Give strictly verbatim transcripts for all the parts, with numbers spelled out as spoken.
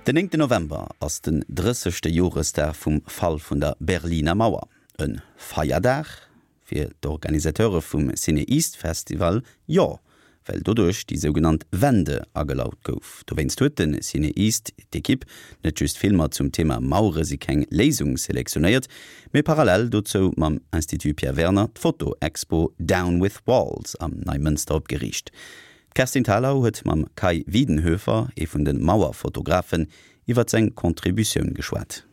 Den néngten November ass den drëssegste Joresdag vum Fall vun der Berliner Mauer. E Feierdag? Fir d'Organisateure vum CinEast Festival jo, well doduerch déi sougenannt Wende agelaut gouf. Dowéinst huet de CinEast d'Ekipp net just Filmer zum Thema Mauere si keng Léisung selektionéiert, mee parallel dozou mam Institut Pierre Werner d'Foto-Expo Down with Walls am Neimënster opgeriicht. D'Kerstin Thalau huet mam Kai Wiedenhöfer, ee vun de Mauerfotografen, iwwer seng Contributioun geschwat.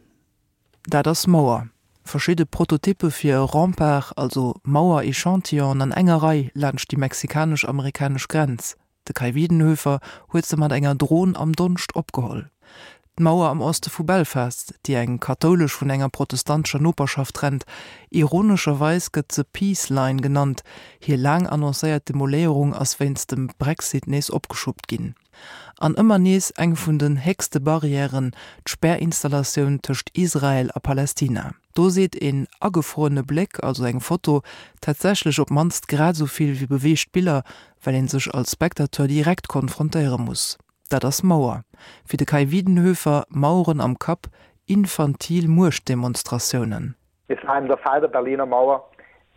Dat ass Mauer. Verschidde Prototyppe fir e Rempart, also Mauer-Echantillonen an enger Rei laanscht déi mexikanesch-amerikanesch Grenz. De Kai Wiedenhöfer huet se mat enger Dron am Donscht opgeholl. D'Mauer am Oste vu Belfast, déi eng kathoulesch vun enger protestantescher Noperschaft trennt, ironescherweis gëtt se Peace Line genannt, hir laang annoncéiert Demoléierung ass wéinst dem Brexit nees opgeschuppt ginn. An ëmmer nees eng vun den héchste Barrièren, d'Spärinstallatioun tëscht Israel a Palestina. Do seet een agefruerene Bléck, also eng Foto, tatsächlech op d'mannst grad esou vill wéi beweegt Biller, well ee sech als Spectateur direkt konfrontéiere muss. Dat ass Mauer. Fir de Kai Wiedenhöfer, Maueren am Kapp, infantil Muechtdemonstratiounen. Es war eben der Fall der Berliner Mauer,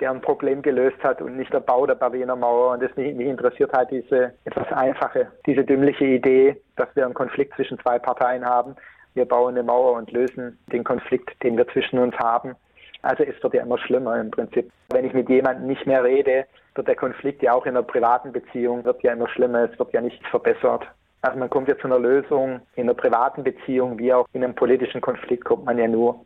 der ein Problem gelöst hat und nicht der Bau der Berliner Mauer. Und das mich, mich interessiert halt diese etwas einfache, diese dümmliche Idee, dass wir einen Konflikt zwischen zwei Parteien haben. Wir bauen eine Mauer und lösen den Konflikt, den wir zwischen uns haben. Also es wird ja immer schlimmer im Prinzip. Wenn ich mit jemandem nicht mehr rede, wird der Konflikt ja auch in einer privaten Beziehung wird ja immer schlimmer, es wird ja nichts verbessert. Also man kommt ja zu einer Lösung in einer privaten Beziehung wie auch in einem politischen Konflikt kommt man ja nur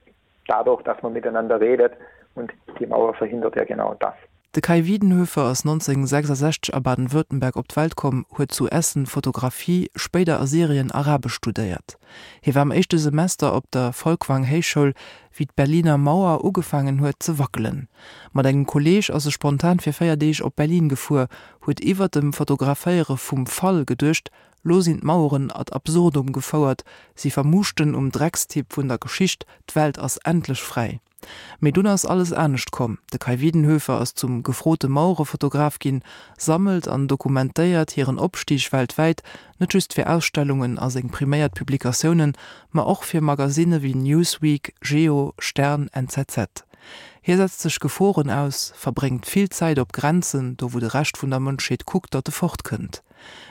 dadurch, dass man miteinander redet und die Mauer verhindert ja genau das. De Kai Wiedenhöfer ass neunzehnhunnertsechsundsechzeg a Baden-Württemberg op d'Welt komm, huet zu Essen Fotografie, spéider a Syrien Arabesch studéiert. Hie war am éischte Semester op der Folkwang Héichschoul, wéi d'Berliner Mauer ugefaangen huet ze wackelen. Mat engem Kolleeg ass e spontan fir véier Deeg op Berlin gefuer, huet iwwer dem Fotograféiere vum Fall geduecht, Lo sinn d'Maueren ad absurdum gefouert, si vermuuschten um Dreckstipp vun der Geschicht, d'Welt ass endlech fräi. Mee dunn ass alles anescht komm, de Kai Wiedenhöfer ass zum gefrote Mauerefotograf ginn, sammelt an dokumentéiert hiren Opstig weltwäit, net just fir Ausstellungen a seng priméiert Publikatiounen, ma och fir Magasinne wéi Newsweek, Geo, Stern, N Z Z. Hie setzt sech Geforen aus, verbréngt vill Zäit op Grenzen, do wou de Rescht vun der Mënschheet kuckt, datt e fortkënnt.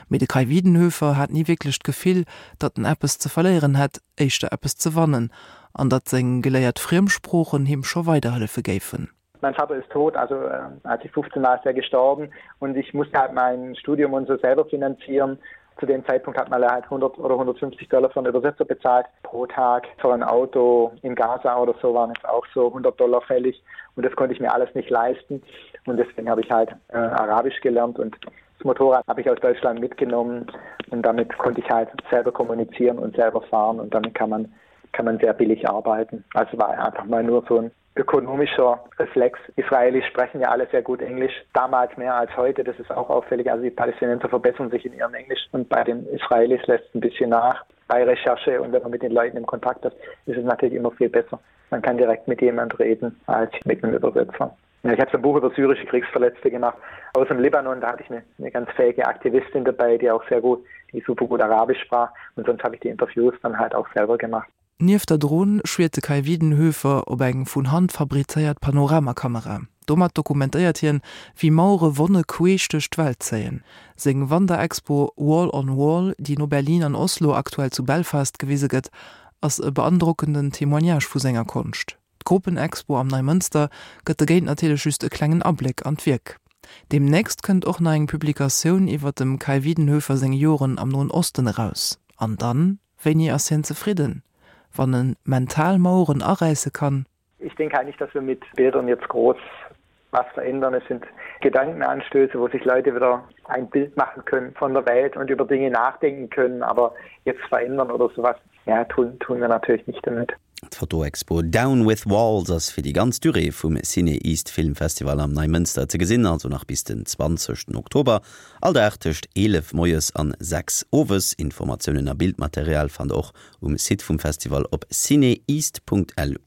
Mee de Kai Wiedenhöfer hat ni wierklech d'Gefill, datt en eppes ze verléieren hätt, éischter eppes ze wannen, an datt seng geléiert Friemsproochen him scho weiderhëllefe géifen. Mein Vater ist tot, also äh, als ich fünfzehn war, ist er gestorben und ich musste halt mein Studium und so selber finanzieren. Zu dem Zeitpunkt hat man halt hundert oder hundertfünfzig Dollar für einen Übersetzer bezahlt pro Tag. Für ein Auto in Gaza oder so waren es auch so hundert Dollar fällig und das konnte ich mir alles nicht leisten und deswegen habe ich halt äh, Arabisch gelernt und das Motorrad habe ich aus Deutschland mitgenommen und damit konnte ich halt selber kommunizieren und selber fahren und damit kann man kann man sehr billig arbeiten. Also war einfach mal nur so ein ökonomischer Reflex. Israelis sprechen ja alle sehr gut Englisch, damals mehr als heute, das ist auch auffällig. Also die Palästinenser verbessern sich in ihrem Englisch und bei den Israelis lässt es ein bisschen nach. Bei Recherche und wenn man mit den Leuten im Kontakt ist, ist es natürlich immer viel besser. Man kann direkt mit jemand reden als mit einem Übersetzer. Ja, ich habe so ein Buch über syrische Kriegsverletzte gemacht aus dem Libanon, da hatte ich eine, eine ganz fähige Aktivistin dabei, die auch sehr gut, die super gut Arabisch sprach und sonst habe ich die Interviews dann halt auch selber gemacht. Nieft der Dron schwiert de Kai Wiedenhöfer op eng vun Hand fabrizéiert Panoramakamera. Domat dokumentéiert hien, wéi Mauere Wonne queesch duerch d'Welt zéien. Seng Wanderexpo Wall on Wall, déi no Berlin an Oslo aktuell zu Belfast gewise gëtt, ass e beandrockenden Témoignage vu senger Konscht. D'Gruppenexpo am Neimënster gëtt dogéint natierlech just e klengen Abléck an d'Wierk. Deemnächst kënnt och nach eng Publikatioun iwwer dem Kai Wiedenhöfer seng Joren am Noen Osten eraus. An dann, wéini ass hien zefridden? Wann en mental Maueren aräisse kann? Ich denke halt nicht, dass wir mit Bildern jetzt groß was verändern. Es sind Gedankenanstöße, wo sich Leute wieder ein Bild machen können von der Welt und über Dinge nachdenken können, aber jetzt verändern oder sowas, ja, tun, tun wir natürlich nicht damit. D'Fotoexpo Down with Walls ass fir déi ganz Durée vum CinEast Filmfestival am Neimënster ze gesinn, also nach bis den zwanzegsten Oktober, all Dag tëscht eelef moies an sechs owes. Informatiounen a Bildmaterial fannt der och um Site vum Festival op cineast Punkt lu.